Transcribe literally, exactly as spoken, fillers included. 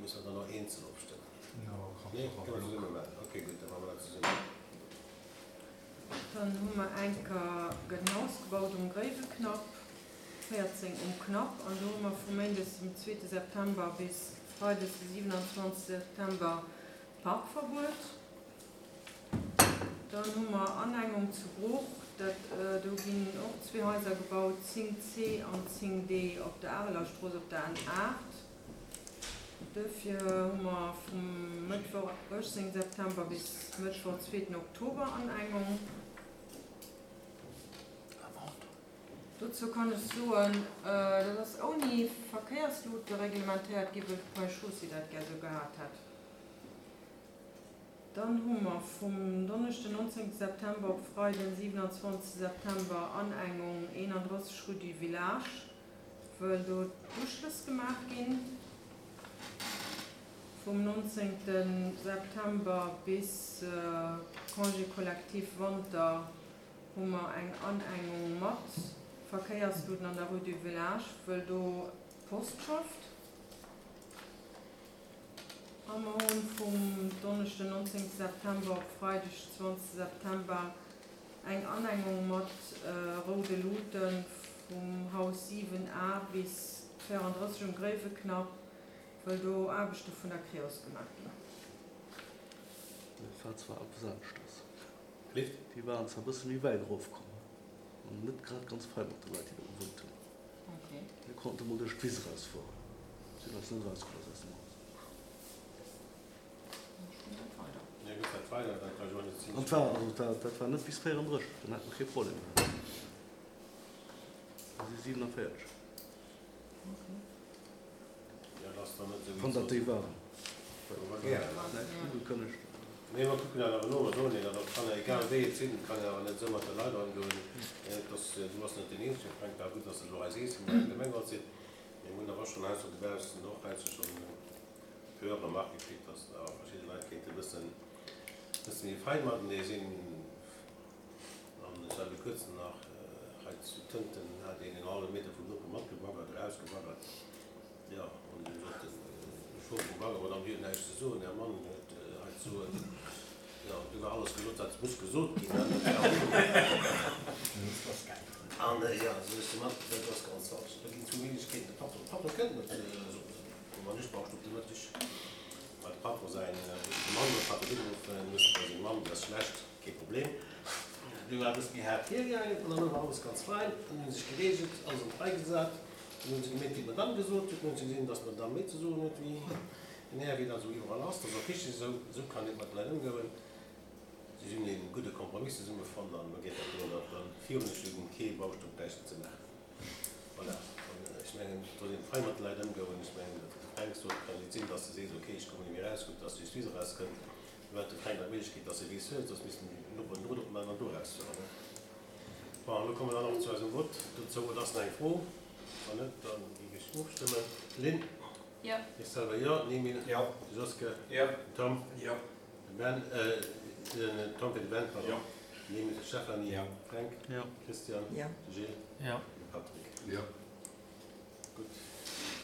Musse mer dann och eenzel ofstëmmen? Nee, kënne mer zesumme maachen. Okay, gutt, da maache mer dat zesummen. Dann hu mer enker, gëtt en Haus gebaut um Gréiweknapp, véierzéng um Knapp, an do hu mer vu méindes dem zweete September bis freides de siwenanzwanzegste September Parkverbuet. Dann hu mer Anengung zu Bruch, dat, do ginn och zwee Haiser gebaut, zéng C an zéng D op der Arelerstrooss op der N aacht. Duerfir hu mer vum Mëttwoch uechtzéngten September bis Mëttwoch zweeten Oktober Anengung. Dozou kann ech soen, dat ass ouni Verkéierslute reglementéiert gi wëll d'Ponts et Chaussées dat gär sou gehat hätt. Dann hu mer vum Donneschden nonzéngte September op Freiden siwenanzwanzegste September Anengung eenandrësseg rue du Village, wëll do d'Uschlëss gemaach ginn. Vum nonzéngte September bis Congé collectif Wanter hu mer eng Anengung mat Verkéiersluten an der rue du Village, wëll do d'Post schafft. A mer hunn vum Donneschden nonzéngte September op Freideg zwanzegste September eng Anengung mat roude Luten vum Haus siwen A bis véierandrësseg um Gréiweknapp, wëll do Aarbechte vun der Creos gemaach ginn. Dat war zwar eppes aneschters. Lift? Déi waren zwar e bësse méi wäit erofkomm an net grad ganz fei mat de Leit, déi do gewunnt hunn. Okay. Mir konnte mol duerch d'Wiss erausfueren. Si hunn eis net erausgelooss aus dem Haus. Ja, gëtt dat weider, dat war jo net An war, also dat, dat war net bis véierandrësseg, dann hätt mer kee Problem gehat. Mir si siewenanvéierzeg. Okay. Ja, dat ass dann net esou Wann dat déi waren. Awer gär. Näischt ugekënnegt. Nee, mer kucken dat awer no. Mer soen hinnen, dat kann egal wéi et sinn, et kann een awer net esou mat de Leit ëmgoen. Et ass, du bass net deen Eenzegen, Fränk, war gutt, dass de elo hei sees, wou mer am Gemengerot sinn. Mir hunn awer schonn heiansdo dobaussen och heiansdo schonn e puer Remarquë kritt, dass awer verschidde Leit kéinte e bëssen, bësse méi fein matenee sinn. An ech hat viru kuerzem nach hei zu Tënten, hat een en hallwe Meter vum Noper matgebaggert, erausgebaggert. Jo, an du sot den Chauffeur vum Bagger, Madame, Dir hutt näischt ze soen, Är Mann huet hei ze soen. Jo, du war alles gesot, wat muss gesot ginn. An jo, sou ech de Mann, dat ass ganz falsch. Do ginn zwou Méiglechkeeten, de Patron, de Patron kënnt net, sot de Mann, ech brauch op de Mëtteg. Well de Patron säin, de Mann huet d'Patron ugeruffen, huet bei seng Mamm, déi ass schlecht, kee Problem. Du war e bësse méi haart hiergaangen an dann war alles ganz fein. Dann hu se sech gereegelt, alles an d'Rei gesat. Dann hu se gemeet, wéi d'Madame gesot huet. Dann hu se gesinn, dass d'Madame méi ze soen huet wéi den Här, wéi dat esou iwwerall ass. Dat ass och richteg esou. Esou kann een mat de Leit ëmgoen. Si hunn ee gudde Kompromiss zesumme fonnt an elo geet dat drëm, datt dann virun ech hunn, kee Baustopp bräichten ze maachen. Voilà. An ech mengen, et soll een fein mat de Leit ëmgoen. Ech mengen, dat de Fränk sot, kann et sinn, dass de sees, okay, ech kommen net méi eraus, gutt, dass d'Justiz erauskënnt. Do hätt de Fränk nach d'Méiglechkeet, dass e Weess huet, soss missten déi Noperen Drot opmaachen an do erausfueren. Bon, elo komme mer dann och zu eisem Vott dozou. Oder ass nach eng Fro? Wann net, da géif ech ofstëmmen. Lynn? Jo. Ech selwer jo. Den Emile? Jo. De Joske? Jo. Den Tom? Jo. De Ben? Den Tom fir de Ben, pardon. Jo. Den Emile fir d'Stéphanie. Jo. Fränk? Jo. Christian? Jo. De Gilles? Jo. De Patrick? Jo. Gutt.